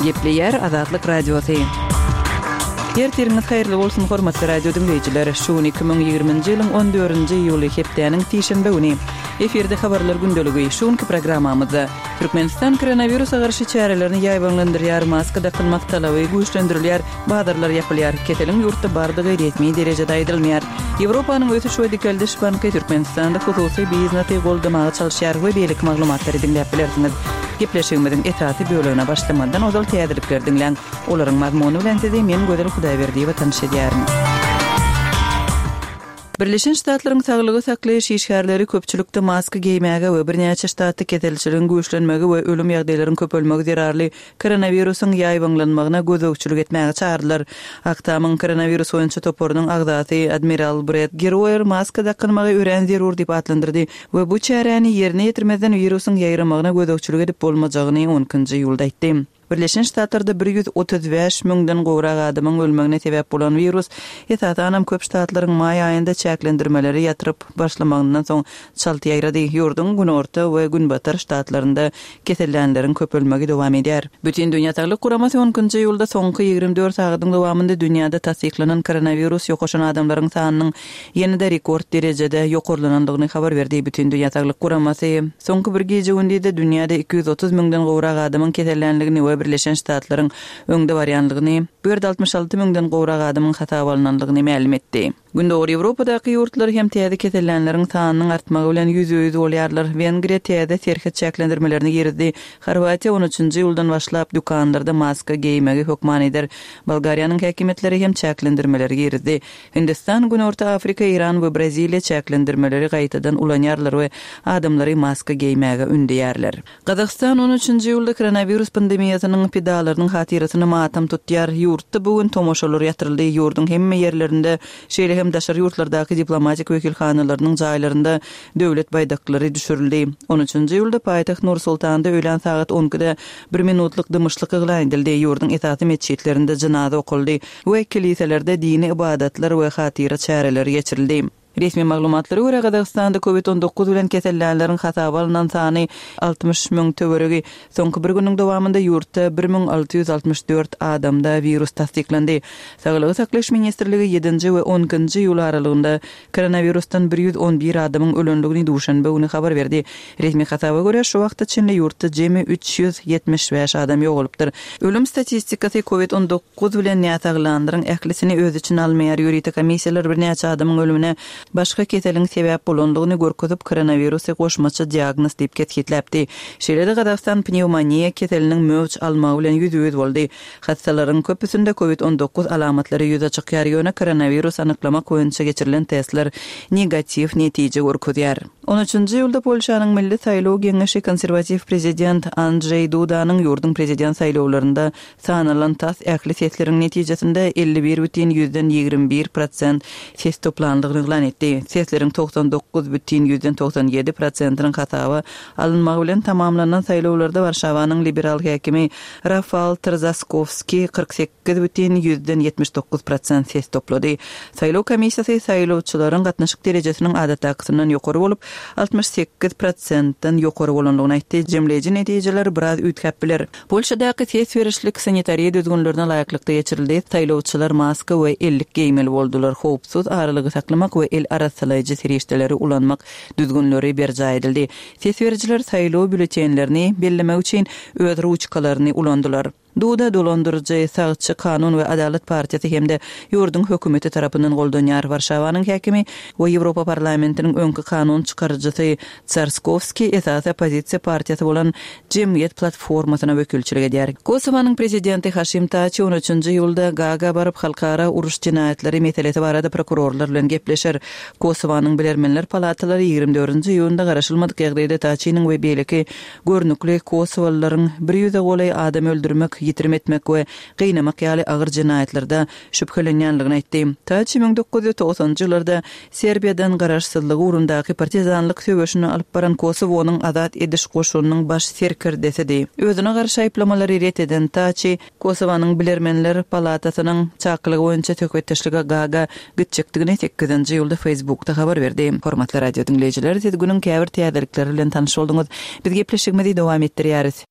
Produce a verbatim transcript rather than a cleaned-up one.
Gepleyer Azatlyk Radiosu. Ertiriniz hayırlı bolsun hormatly radio dinleyijiler. Şu iki bin ýygrymynjy ýylyň on dördünji ýuly hepdeniň tişenbe güni eferde habarlar gündeligi şuňky programmamyzda Türkmenistan koronawirusa garşy çärelerini ýaýbanlandyrýar, maska takylmak talaby güýçlendirilýär, badarlar ýapylýar, keteliň ýurtda bardygy resmi derejede aýdylmaýar. Ýewropanyň ötüş we dikeldiş banky Türkmenistanda hususy biznesy goldamagy çalyşýar we beýlik maglumatlary dinläp bilersiňiz. Gepleşigimiziň etaty bölügine başlamadan ozal täzelikler dinleň. Olaryň mazmuny bilen sizi men Gödel Hudaýberdi we tanış edýärim. Birleşen Ştatlaryň saglygy saklaýyş işgärleri köpçülikde maska giýmäge we birnäçe ştatda ketelçiligiň güýçlenmegi we ölüm ýagdaýlarynyň köpelmegi zerarly koronawirusyň ýaýbanlanmagyna gözökçülük etmäge çağırdylar. Aktamyň koronavirus boýunça toporunyň agdaty Admiral Brett Giroir maska takylmagy ören zerur diýip atlandyrdy we bu çäreni ýerine ýetirmeden wirusyň ýaýramagyna gözökçülük edip bolmajagyny onunçy ýylda aýtdy. Birleşen Ştatlarda bir ýüz otuz beş müňden gowrak adamyň ölmegine sebäp bolan virus etatanam köp ştatlaryň maý aýynda çäklendirmeleri ýatyryp başlamagynyň soň çalty ýaýrady. Ýurdun günorta we günbatar ştatlarynda kesellenleriň köp ölmegi dowam edýär. Bütün dünýä Saglyk Guramasy onunçy ýylda soňky ýygrimi dört sagatyň dowamynda dünýäde tasdiklanan koronawirus ýokaşan adamlaryň sanynyň ýene-de rekord derejede ýokurlanandygyny habar berdi. Bütün dünýä Saglyk Guramasy soňky bir gece gündide dünýäde iki yüz otuz müňden gowrak adamyň kesellenligini we Birleşen Ştatlaryň öňde barýanlygyny, bir yüz altmış alty müňden gowrak adamyň hata bolanynyny ma'lum etdi. Gündäki Ýewropadaky ýurtlar hem täze kesellenleriň sanynyň artmagy bilen ýüz-ýüz bolýarlar. Wengriýa täze serhat çäklendirmelerini girdi. Horwatiýa on üçinji ýyldan başlap dukanlarda maska giýmegi hökman eder. Bolgariýanyň häkimetleri hem çäklendirmeleri girdi. Hindistan, Günorta Afrika, Iran we Braziliýa çäklendirmeleri gaýtadan ulanýarlar we adamlary maska giýmege ündäýärler. Gazaqstan on üçinji ýylda koronavirus pandemiýasynyň pedalarynyň hatyrasyny matam tutýar. Ýurtda bugün tomoşalar ýatyryldy. Ýurdun hemme ýerlerinde şeýle hem daşary ýurtlardaky diplomatik wekilhanalarynyň jaýlarynda döwlet baýdaklary düşürildi. on üçinji ýylda paýtaxt Nur-Sultanda öýlen saat onda bir minutlyk dymyşlyk eglan edildi. Ýurdun etaty meçitlerinde janaza okuldy we kiliselerde dini ibadatlar we hatyra çäreleri geçirildi. Resmi maglumatlara göre Gazaqstanda covid on dokuz bilen kesellenleriň hata bolunan sany altmış müň töweregi. Soňky bir güniň dowamynda ýurtda bir miň alty ýüz altmış dört adamda virus tasdiklandi. Saglyk saklaş ministrligi ýedinji we onunçy ýyl aralygynda koronavirusdan bir yüz on bir adamyň ölenligini duşanbe güni habar berdi. Resmi hataba göre şu wagtda Çinli ýurtda jemi üç yüz ýetmiş beş adam ýogalypdyr. Ölüm statistikasy covid on dokuz bilen ýataglandyryň ählisini öz için almaýar ýuridik komissiýalar birnäçe adamyň ölümine başga keseliň sebäp bolandygyny görkezip koronavirusy goşmaça diagnoz diýip ketgitläpdi. Şeýle-de Gazaqstan pneumoniýa keseliniň möwç almagy bilen ýüz-ýüz boldy. Hastalaryň köpüsinde covid on dokuz alamatlary ýüze çykýar ýöne koronavirus anyklamak boýunça geçirilen testler negativ netije görkezýär. on üçinji ýylda Polşanyň Milli Saýlaw Geňeşi konserwativ prezident Andrzej Dudanyň ýurdun prezident saýlawlarynda sanalan tas ähli sesleriň netijesinde elli bir бүтүн yüzden ýygrimi bir prosent ses toplandygyny eglan etdi. Sesleriň toksan dokuz бүтүn yüzden toksan ýedi prosentynyň hatawy alınmagy bilen tamamlanan saýlawlarda Warşawanyň liberal häkimi Rafal Trzaskovski kırk sekiz бүтүn yüzden ýetmiş dokuz prosent ses toplady. Saýlaw komissiýasy saýlawçylaryň gatnaşyk derejesiniň adataksynyň ýokary bolup altmış sekiz prosentdan ýokary bolandygyny aýtdy. Jemleji netijeler biraz üýtgäp biler. Polşadaky ses berişlik sanitariýa düzgünlerine laýyklykda geçirildi. Saýlawçylar maska we ellik giýmeli boldular. Howpsuz aralygy saklamak we el arasalaýjy serişdeleri ulanmak düzgünleri berja edildi. Ses berjiler saýlaw bülletenlerini bellemek üçin öz ruçkalaryny ulandylar. Duda dolandırıcı sağçı kanun ve adalet partiyası hem de ýurdun hökümeti tarapyndan goldanýar. Warşawanyň häkimi we Ýewropa parlamentiniň öňkü kanun çykarjysy Trzaskovski esas opozisiýa partiyasy bolan Jemgyýet platformasyna wekilçilik edýär. Kosowanyň prezidenti Haşim Taçy on üçinji ýylda Gaga baryp halkara uruş jinaýatleri meselesi barada prokurorlar bilen gepleşer. Kosowanyň bilermenler palatalary ýygrimi dördünji ýylda garaşylmadyk ýagdaýda Taçynyň we beýleki görnükli Kosowalylaryň bir ýüze golay adam öldürmek, ýitirim etmek we gynnamak ýaly agyr jinaýatlarda şüphelenýänligini aýtdy. Taçy bir miň dokuz ýüz togsanjy ýyllarda Serbiýadan garaşsyzlygy urundaky partizanlyk söwüşini alyp baran Kosowanyň azat ediş goşunynyň baş serkirdesidi. Özüne garşy aýplamalary ret eden Taçy Kosowanyň bilermenler palatasynyň çaklygy boýunça töketdeşlige Gaga gitjekdigini sekizinji ýylda Facebookda habar berdi. Hormatly radio dinleýijiler, siz günüň käbir täzelikleri bilen tanyş bolduňyz. Biz gepleşigimizi dowam etdirýäris.